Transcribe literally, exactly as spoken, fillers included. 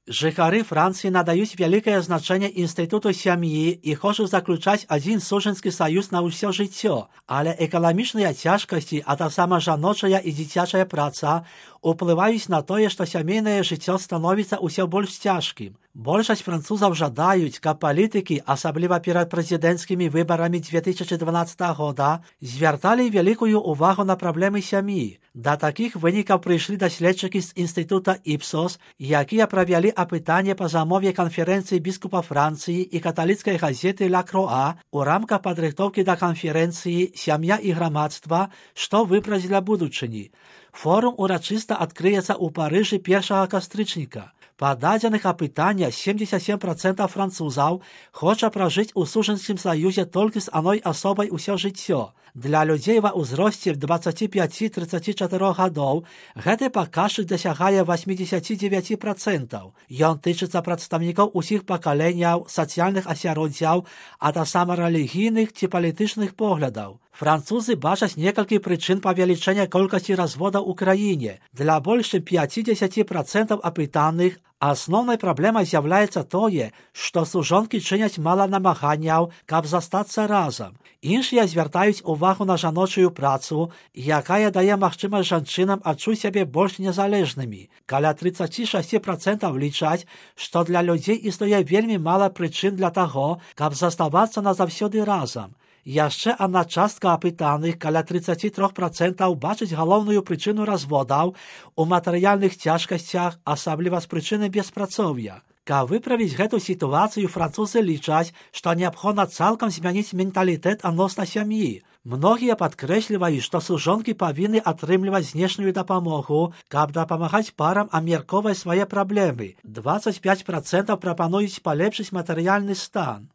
Жыхары Францыі надаюць вялікае значэнне інстытуту сям'і і хочуць заключаць адзін сужэнскі саюз на ўсё жыццё, але экаламічныя цяжкасці, а таксама жаночая і дзіцячая праца уплываюць на тое, што сямейнае жыццё становіцца ўсё больш цяжкім. Большасць французаў жадаюць, каб палітыкі, асабліва перад прэзідэнцкімі выбарамі две тысячы дванаццатага года, звярталі вялікую ўвагу на праблемы сям'і. Да такіх вынікаў прыйшлі даследчыкі з інстытута Іпсос, якія правялі апытанне па замове канферэнцыі біскупа Францыі і каталіцкай газеты «Ля Круа» у рамках падрыхтоўкі да канферэнцыі «Сям'я і грамадства. Што выбраць для будучыні». Форум урачыста адкрыецца ў Парыжы першага кастрычніка. Па дадзеных апытання семьдесят семь процентов французаў хоча пражыць у сужэнскім саюзе толькі з адной асобай усё жыццё. Для людзей ва ўзросце двадцати пяти тридцати четырёх гадоў гэты паказчык дасягае восемьдесят девять процентов. Ён тычыцца прадстаўнікоў усіх пакаленняў, сацыяльных асяроддзяў, а таксама рэлігійных ці палітычных поглядаў. Французы бачаць некалькі прычын павелічэння колькасці разводаў у краіне. Для больш чым пятьдесят процентов апытаных асноўнай праблемай з'яўляецца тое, што сужонкі чыняць мала намаганняў, каб застацца разам. Іншыя звяртаюць увагу на жаночую працу, якая дае магчымасць жанчынам адчуць сябе больш незалежнымі. Каля тридцать шесть процентов лічаць, што для людзей існуе вельмі мала прычын для таго, каб заставацца назаўсёды разам. Яшчэ адна частка апытаных, каля тридцать три процентов, бачыць галоўную прычыну разводаў у матэрыяльных цяжкасцях, асабліва з прычыны беспрацоўя. Каб выправіць гэту сітуацыю, французы лічаць, што неабходна цалкам змяніць менталітэт адносна сям'і. Многія падкрэсліваюць, што сужонкі павінны атрымліваць знешнюю дапамогу, каб дапамагаць парам абмяркоўваць свае праблемы. двадцать пять процентов прапануюць палепшыць матэрыяльны стан.